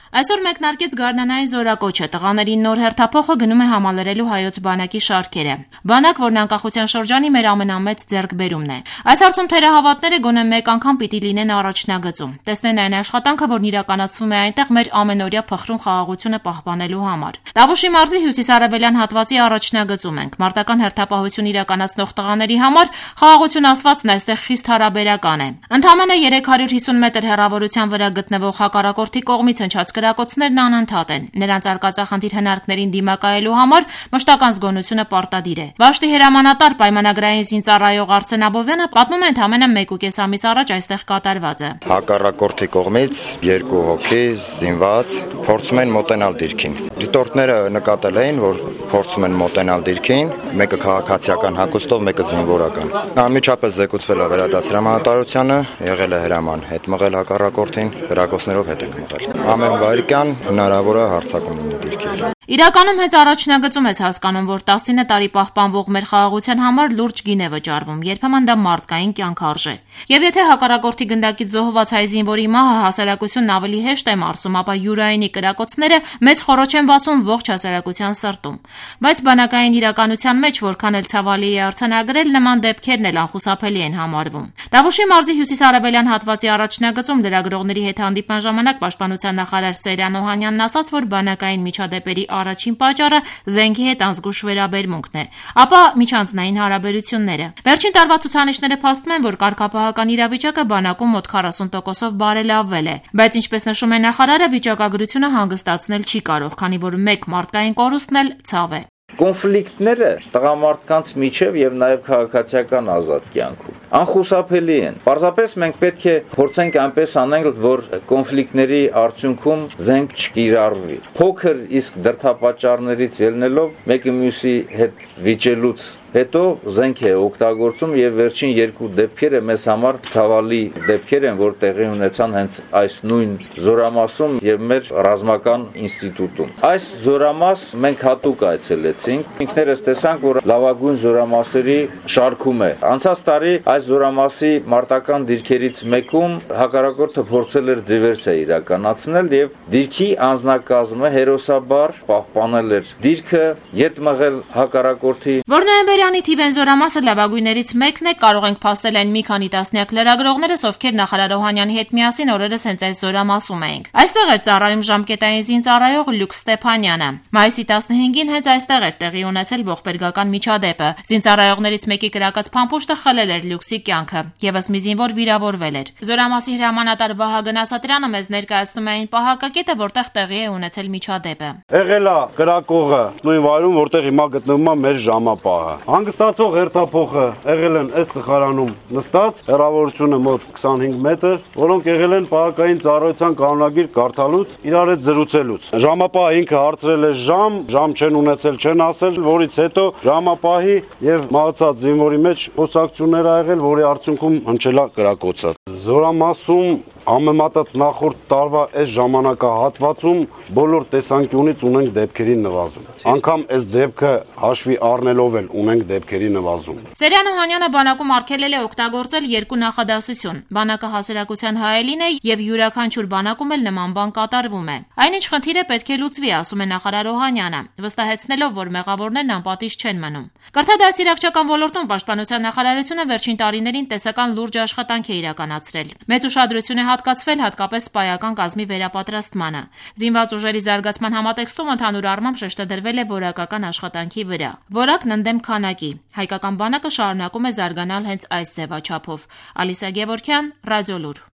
Այսօր մեկնարկեց գարնանային զորակոչը, տղաներին նոր հերթափոխը գնում է համալրելու հայոց բանակի շարքերը։ Բանակ, որն անկախության շրջանի մեր ամենամեծ ձեռքբերումն է։ Այս հարցում թերահավատները գոնե մեկ անգամ պիտի լինեն առաջնագծում, տեսնեն այն աշխատանքը, որն իրականացվում է այնտեղ մեր ամենօրյա փխրուն խաղաղությունը պահպանելու համար։ Տավուշի մարզի հյուսիսարևելյան հատվածի առաջնագծում ենք։ Մարտական հերթապահություն իրականացնող տղաների համար խաղաղություն ասվածն այստեղ խիստ հարաբերական է։ Ընդամենը 350 մետր հեռավորության վրա գտնվող հակառակորդի կողմից հնչած կրակոցներն անընդհատ են։ Նրանց արկածախնդիր հնարքներին դիմակայելու համար մշտական զգոնությունը պարտադիր է։ Վաշտի հրամանատար պայմանագրային զինծառայող Արսեն Աբովյանը պատմում է ընդամենը 1.5 ամիս առաջ այստեղ կատարվածը։ Հակառակորդի կողմից 2 հոգի զինված փորձում են մոտենալ դիրքին։ Դիտորդները նկատել էին, որ փորձում են մոտենալ դիրքին, մեկը քաղաքացիական հագուստով, մեկը զինվորական։ Անմիջապես զեկուցվել է վերադաս հրամանատարությանը, եղել է հրաման հետ մղել հակառակորդին, հրակոցներով հետ ենք մղել։ Ամեն վայրկյան հնարավոր է հարձակում լինի դիրքի։ Իրականում հենց առաջնագծում ես հասկանում, որ 19 տարի պահպանվող մեր խաղաղության համար լուրջ գին է վճարվում, երբեմն դա մարդկային կյանք արժե։ Եվ եթե հակառակորդի գնդակից զոհված հայ զինվորի մահը հասարակությունն ավելի հեշտ է մարսում, ապա յուրայինի կրակոցները մեծ խոռոչ են բացում ողջ հասարակության սրտում։ Բայց բանակային իրականության մեջ, որքան էլ ցավալի է արձանագրել, նման դեպքերն էլ անխուսափելի են համարվում։ Տավուշի մարզի հյուսիսարևելյան հատվածի առաջնագծում լրագրողների հետ հանդիպման ժամանակ պաշտպանության նախարար Սերյան Օհանյանն ասաց, որ բանակային միջադեպերի առաջին պատճառը զենքի հետ անզգույշ վերաբերմունքն է, ապա միջանձնային հարաբերությունները։ Վերջին տարվա ցուցանիշները փաստում են, որ կարգապահական իրավիճակը բանակում մոտ 40%-ով բարելավվել է, բայց ինչպես նշում է նախարարը, վիճակագրությունը հանգստացնել չի կարող, քանի որ մեկ մարդկային կորուստն էլ ցավ է։ Կոնֆլիկտները տղամարդկանց միջև եւ նաեւ քաղաքացիական ազատ կյանքում անխուսափելի են։ Պարզապես մենք պետք է փորձենք այնպես անել, որ կոնֆլիկտների արդյունքում զենք չկիրառվի։ Փոքր իսկ դրդապատճառներից ելնելով մեկը մյուսի հետ վիճելուց հետո զենք է օգտագործում եւ վերջին 2 դեպքերը մեզ համար ցավալի դեպքեր են, որ տեղի ունեցան հենց այս նույն զորամասում եւ մեր ռազմական ինստիտուտում։ Այս զորամաս մենք հատուկ այցելեցինք։ Ինքներս տեսանք, որ լավագույն զորամասերի շարքում է։ Անցած տարի այս զորամասի մարտական դիրքերից մեկում հակառակորդը փորձել էր դիվերսիա իրականացնել եւ դիրքի անձնակազմը հերոսաբար պահպանել էր դիրքը, յետ մղել հակառակորդի։ Որ նոյեմբերյանի թիվեն զորամասը լավագույններից մեկն է, կարող ենք փաստել այն մի քանի տասնյակ լրագրողներս, ովքեր նախարար Օհանյանի հետ միասին օրերս հենց այս զորամասում էինք։ Այստեղ էր ծառայում ժամկետային զինծառայող Լյուկ Ստեփանյանը։ Մայիսի 15-ին հենց այստեղ էր տեղի ունեցել ողբերգական միջադեպը։ Զինծառայողներից մեկի կրակած փամփուշտը խլել էր Լյուկսի կյանքը, եւս մի զինվոր վիրավորվել էր։ Զորամասի հրամանատար Վահագն Ասատրյանը մեզ ներկայացնում է այն պահակակետը, որտեղ տեղի է ունեցել միջադեպը։ Եղել է կրակողը նույն վայրում, որտեղ հիմա գտնվում է մեր ժամապահը։ Հանգստացող հերթափոխը եղել են այս ծխարանում նստած, հեռավորությունը մոտ 25 մետր, որոնք եղել են պահակային ծառայության կանոնագիր կարդալուց, իրար հետ զրուցելուց։ Ժամապահը ինքը հարցրել է ժամ չեն ունեցել, չեն ասել, որից հետո ժամապահի եւ մահացած զինվորի մեջ խոսակցություններ ա եղել, որի արդյունքում հնչել է կրակոցը։ Զորամասում համեմատած նախորդ տարվա այս ժամանակահատվածում բոլոր տեսանկյունից ունենք դեպքերի նվազում։ Անգամ այս դեպքը հաշվի առնելով էլ ունենք դեպքերի նվազում։ Սերյան Օհանյանը բանակում արգելել է օգտագործել 2 նախադասություն։ Բանակը հասարակության հայելին է եւ յուրաքանչյուր բանակում էլ նման բան կատարվում է։ Այնինչ խնդիրը պետք է լուծվի, ասում է նախարար Օհանյանը, վստահեցնելով, որ մեղավորներն անպատիժ չեն մնում։ Կրթադասիրակչական ոլորտում պաշտպանության նախարարությունը վերջին տարիներին տեսական լուրջ աշխատանք է իրականացրել։ Մեծ ուշադրություն է հատկացվել հատկապես սպայական կազմի վերապատրաստմանը։ Զինված ուժերի զարգացման համատեքստում ընդհանուր առմամբ շեշտը դրվել է որակական աշխատանքի վրա։ Որակն ընդդեմ քանակի։ Հայկական բանակը շարունակում է զարգանալ հենց այս ձևաչափով։ Ալիսա Գևորգյան, Ռադիոլուր։